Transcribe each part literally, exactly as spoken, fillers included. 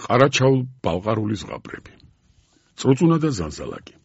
ყარაჩაულ ბალყარული ზღაპრები. წრუწუნა და ზანზალაკი.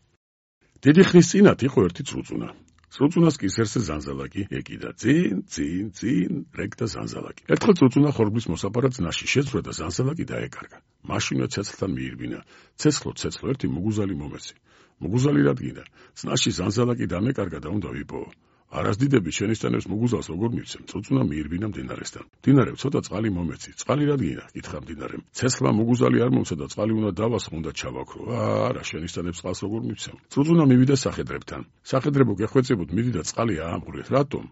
დიდი ხნის წინათ იყო ერთი წრუწუნა. წრუწუნას კისერზე ზანზალაკი ეკიდა. წინ, წინ, წინ, რეკდა ზანზალაკი. ერთხელ წრუწუნა ხორბლის მოსაპარად ძნაში შეძვრა და ზანზალაკი დაეკარგა. მაშინვე ცეცხლთან მიირბინა. ცეცხლო, ცეცხლო, ერთი მუგუზალი მომეცი. მუგუზალი რადგინდა. ძნაში ზანზალაკი დამეკარგა და უნდა ვიპოვო. არასდიდები შენიშნებს მუგუზალს როგორ მივცემ. წრუწუნა მიირბინა მდინარესთან. მდინარემ ცოტა წყალი მომეცი. წყალი რადგინა? კითხა მდინარემ. ცეცხლმა მუგუზალი არ მომცა და წყალი უნდა დავასხო, უნდა ჩავაქრო. არა, შენიშნებს წყალს როგორ მივცემ. წრუწუნა მივიდა სახედრებთან. სახედრებო გეხვეწებოდ მიდი და წყალი აამღვრეთ. რატომ?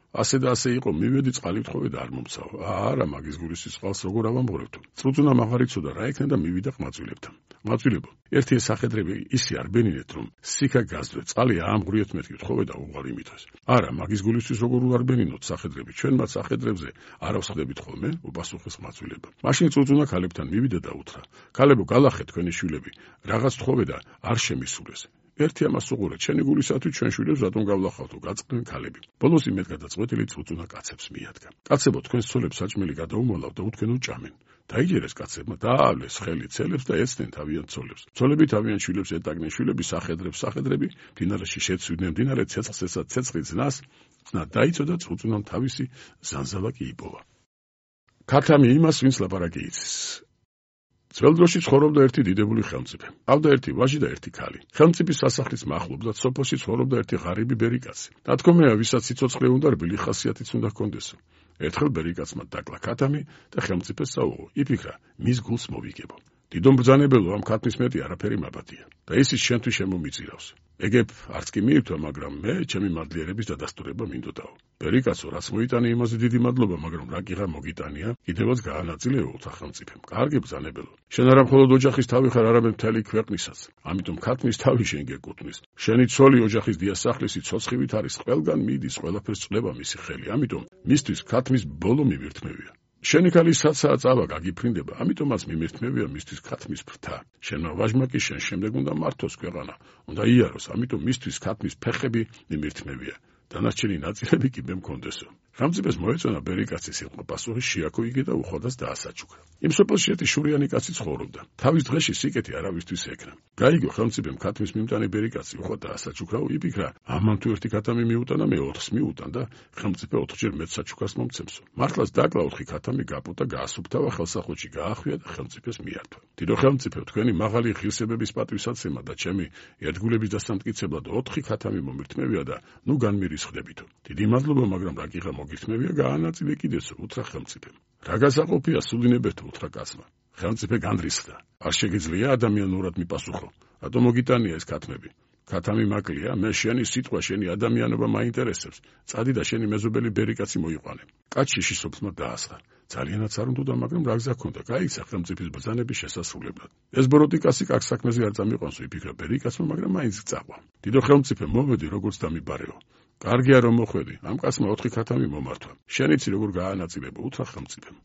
ასე და ასე იყო, მივედი წყალი ვთხოვე და არ მომცაო. არა, მაგის გულისთვის წყალს როგორ ავამღვრევთო? წრუწუნა მაღარ იცოდა რა იქნა და მივიდა ყმაწვილებთან. ყმაწვილებო, ერთი სახედრები ისე არ ბენინეთ, რომ სიქა გაძვე, წყალი აამღვრიეთ მეთქი ვთხოვე და უღარი მithos. არა, მაგის გულისთვის როგორ არ ბენინოთ სახედრები, ჩვენ მათ სახედრებზე არ ავსხდებით ხოლმე, უპასუხეს ყმაწვილებმა. მაშინ წრუწუნა ქალებთან მივიდა და უთხრა: ქალებო, გალახეთ თქვენი შვილები, რაღაც თხოვე და არ შემისულეს. ერთი ამას უყურეთ, შენი გულისათვის ჩვენ შვილებს რატომ გავლახავთო, გაწყდნენ ქალები. ბოლოს იმედ გადაწყვეტილი წრუწუნა კაცებს მიადგა. კაცებო, თქვენს ცოლებს საჭმელი გადაუმალავ და უთქვენ უჭამენ. დაიჯერეს კაცებმა, დაავლეს ხელი ცელებს და ეცდნენ თავიანთ ცოლებს. ცოლები თავიანთ შვილებს ეტაგნენ, შვილები სახედრებს, სახედრები მდინარეში შეცვიდნენ, მდინარე ცეცხლს ესა ცეცხლი ძნას, ძნა დაიწო და წრუწუნამ თავისი ზანზალაკი იპოვა. ქათამი იმას, ვინც ლაპარაკი იცის. ძველ დროში ცხოვრობდა ერთი დიდებული ხელმწიფე. ჰყავდა ერთი ვაჟი და ერთი ქალი. ხელმწიფის სასახლის მახლობლად სოფელში ცხოვრობდა ერთი ღარიბი ბერიკაცი. ნათქვამია, ვისაც სიცოცხლე უნდა, რბილი ხასიათიც უნდა ჰქონდესო. ერთხელ ბერიკაცმა დაკლა ქათამი და ხელმწიფეს საუღო. იფიქრა, მის გულს მოვიგებო. დიდო მბრძანებელო, ამ ქათმის მეტი არაფერი მაბადია და ისიც შენთვის შემომიწირავს. ეგებ არც კი მიირთვა, მაგრამ მე ჩემი მადლიერების დადასტურება მინდოდაო. ბერიკაცო, რაც მოიტანე, იმაზე დიდი მადლობა, მაგრამ რა კიღა მოგიტანია, კიდევაც გაანაწილეო სახელმწიფომ. კარგი ბრძანებელო, შენ არა მხოლოდ ოჯახის თავი ხარ, არამედ მთელი ქვეყნისაც. ამიტომ ქათმის თავი შენ გეკუთვნის. შენი ცოლი ოჯახის დიასახლისი ცოცხივით არის, ყველგან მიდის, ყველაფერს წლება მისი ხელი. ამიტომ მისთვის ქათმის ბოლო მიმირთმევია. შენი ქალი საცაა წავა გაგიფრინდება, ამიტომაც მიმირთმევია მისთვის ქათმის ფრთა. შენმა ვაჟმა კი შენ შემდეგ უნდა მართოს ქვეყანა, უნდა იაროს, ამიტომ მისთვის ქათმის ფეხები მიმირთმევია. დანარჩენი ნაწილები კი მე მქონდესო. ხელმწიფეს მოეწონა ბერიკაცის სიტყვა, პასუხი შეაქუიგე და უხვადას დაასაჩუქრა. იმ სოფელში ერთი შურიანი კაცი ცხოვრობდა. თავის დღეში სიკეთე არავისთვის ეკრა. გაიგო ხელმწიფემ ქათმის მიმტანი ბერიკაცი უხვად დაასაჩუქრა, იფიქრა, ამან თუ ერთი ქათამი მიუტანა, მე ოთხს მიუტან და ხელმწიფე ოთხჯერ მეც საჩუქრას მომცემსო. მართლაც დაკლა ოთხი ქათამი გაპუტა, გაასუფთავა ხელსაყრელში, გაახვია და ხელმწიფეს მიართვა. დიდო ხელმწიფე, თქვენი მაღალი ღირსებების პატივსაცემად და ჩემი ერთგულების დასამტკიცებლად ოთხი ქათამი მომირთმევია და ნუ განმირისხდებითო. დიდი მადლობა, მაგრამ რა კიღა მოგირთმევია, გაანაწილე კიდეცო, უთხრა ხელმწიფემ. რა გასაყოფია სულინებერთო, უთხრა კაცმა. ხელმწიფე განრისხდა. არ შეგიძლია ადამიანურად მიპასუხო. რატომ მოგიტანია ეს ქათმები? ქათამი მაკლია, მე შენი სიტყვა, შენი ადამიანობა მაინტერესებს. წადი და შენი მეზობელი ბერიკაცი მოიყვანე. კაცი შიშობთმა დაასხა. ძალიანაც არ უნდა, მაგრამ რა გზა ჰქონდა, გაიქცა ხელმწიფის ბრძანების შესასრულებლად. ეს ბოროტიკასი კაც საქმეზე არ წამიყვანსო, იფიქრა ბერიკაცმა, მაგრამ მაინც წაყვა. დიდო ხელმწიფე, მოვედი, როგორც დამიბარეო. კარგია რომ მოხვედი, ამ კაცმა ოთხი ქათამი მომართვა. შენიცი როგორ გაანაწილებო, უთხრა ხელმწიფემ.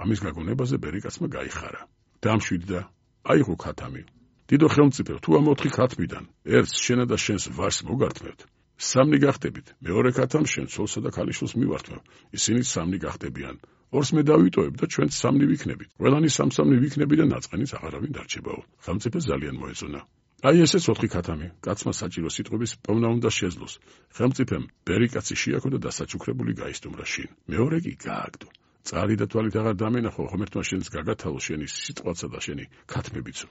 ამის გაგონებაზე ბერიკაცმა გაიხარა. დამშვიდი და აიღო ქათამი. დიდო ხელმწიფე, თუ ამ ოთხი ქათმიდან ერთს შენა და შენს ვაჟს მოგართმევთ, სამნი გახდებით. მეორე ქათამს შენ ცოლსა და ქალიშვილს მივართმევ. ისინიც სამნი გახდებიან. ორს მე დავიტოვებ და ჩვენც სამნი ვიქნებით. ყველანი სამ-სამნი ვიქნები და ნაწყენიც აღარავინ დარჩებაო. ხელმწიფე ძალიან მოეწონა. აი ესეც ოთხი ქათამი. კაცმა საჭირო სიტყვების პოვნა უნდა შეძლოს. ხელმწიფემ ბერიკაცი შეაქო და დასაჩუქრებული გაისტუმრა შინ. მეორე კი გააგდო. წარი და თვალით აღარ დამენახო, ხომ ერთმა შენს გაგათალო შენი სიტყვაცა და შენი ქათმებიცო.